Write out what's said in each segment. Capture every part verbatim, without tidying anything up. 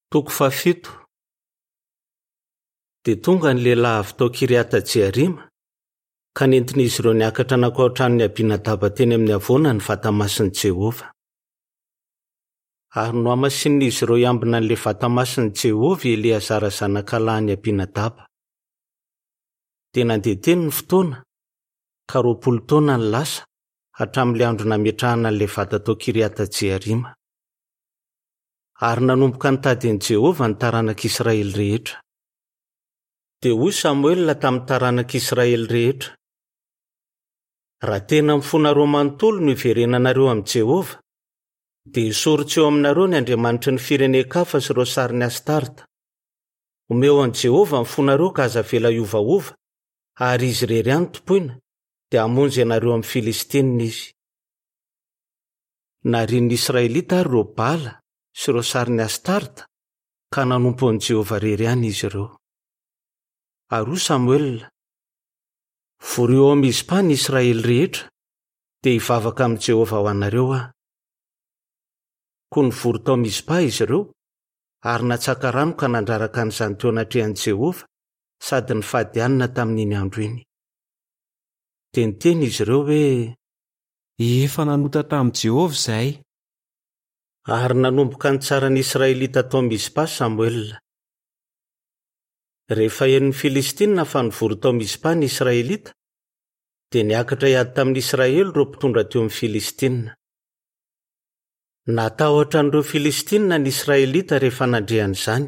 Toko fahafito. Dia tonga ny lehilahy avy tao Kiriata-Jearima, ka nentin'izy ireo niakatra nankao an-tranon'i Abinadaba teny amin'ny havoana ny vatamasin'i Jehovah. Ary nohamasinin'izy ireo hiambina an'ilay vatamasin'i Jehovah i Eleazara zanakalahin'i Abinadaba. Dia nandeha teny ny fotoana, ka roapolo taona ny lasa, hatramin'ilay andro nametrahana an'ilay vata tao Kiriata-Jearima. Ary nanomboka nitady an'i Jehovah ny taranak'Israely rehetra. Dia hoy Samoela tamin'ny taranak'Israely rehetra: Raha tena amin'ny fonareo manontolo no hiverenanareo amin'i Jehovah, dia esory tsy eo aminareo ny andriamanitry ny firenen-kafa sy ireo sarin'i Astarta. Omeo an'i Jehovah ny fonareo ka aza avela hiovaova, ary izy irery ihany tompoina, dia hamonjy anareo amin'ny Filistinina izy. Narian'ny Israelita ary ireo Bala sy ireo sarin'i Astarta, ka nanompo an'i Jehovah irery ihany izy ireo. Ary hoy Samoela: Vorio ao Mizpa ny Israely rehetra, dia hivavaka amin'i Jehovah ho anareo aho. Koa nivory tao Mizpa izy ireo, ary natsaka rano ka nandraraka an'izany teo anatrehan'i Jehovah, sady nifady hanina tamin'iny andro iny. Dia niteny izy ireo hoe: Efa nanota tamin'i Jehovah izahay. Ary nanomboka nitsara ny Israelita tao Mizpa Samoela. Rehefa henon'ny Filistinina fa nivory tao Mizpa ny Israelita, dia niakatra hiady tamin'ny Israely ireo mpitondra teo amin'ny Filistinina. Natahotra an'ireo Filistinina ny Israelita rehefa nandre an'izany.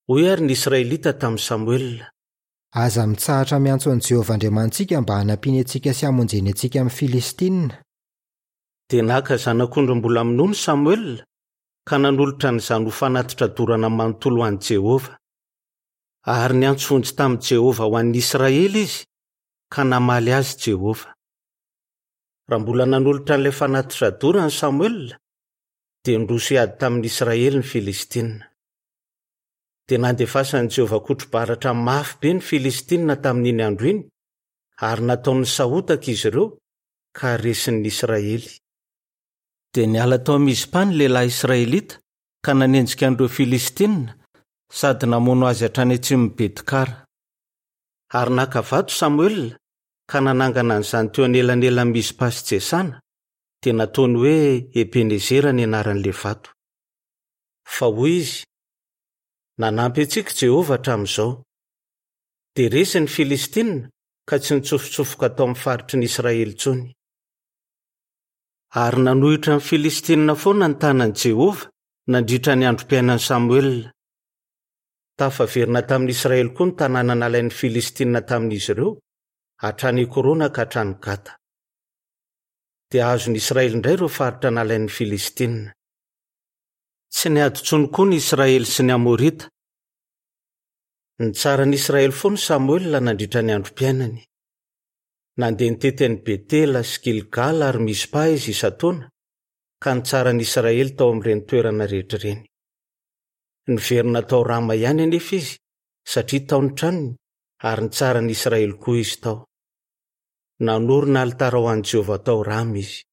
Hoy ary ny Israelita tamin'i Samoela: Aza mitsahatra miantso an'i Jehovah Andriamanitsika mba hanampiany antsika sy hamonjeny antsika amin'ny Filistinina. Dia naka zanak'ondry mbola minono Samoela ka nanolotra an'izany ho fanatitra dorana manontolo ho an'i Jehovah. Ary niantso vonjy tamin'i Jehovah ho an'ny Israely izy, ka namaly azy Jehovah. Raha mbola nanolotra an'ilay fanatitra dorana Samoela, dia niroso hiady tamin'ny Israely ny Filistinina. Dia nandefasan'i Jehovah kotro-baratra mafy be ny Filistinina tamin'iny andro iny, ary nataony sahotaka izy ireo, ka resin'ny Israely. Dia niala tao Mizpa ny lehilahy Israelita ka nanenjika an'ireo Filistinina sady namono azy hatrany atsimon'i Betkara. Ary naka vato Samoela ka nanangana an'izany teo anelanelan'i Mizpa sy Jesana, dia nataony hoe Ebenezera ny anaran'ilay vato. Fa hoy izy: Nanampy antsika Jehovah hatramin'izao. Dia resy ny Filistinina ka tsy nitsofotsofoka tao amin'ny faritry ny Israely intsony. Ary nanohitra ny Filistinina foana ny tanan'i Jehovah nandritra ny androm-piainan'i Samoela. Tafaverina tamin'ny Israely koa ny tanàna nalain'ny Filistinina tamin'izy ireo, hatrany Ekrona ka hatrany Gata. Dia azon'ny Israely indray ireo faritra nalain'ny Filistinina. Tsy niady intsony koa ny Israely sy ny Amorita. Nitsara ny Israely foana Samoela nandritra ny androm-piainany. Nandeha nitety an'i Betela sy Gilgala ary Mizpa izy isan-taona, ka nitsara ny Israely tao amin'ireny toerana rehetra ireny. Niverina tao Rama ihany anefa izy, satria tao ny tranony, ary nitsara ny Israely koa izy tao. Nanorina alitara ho an'i Jehovah tao Rama izy.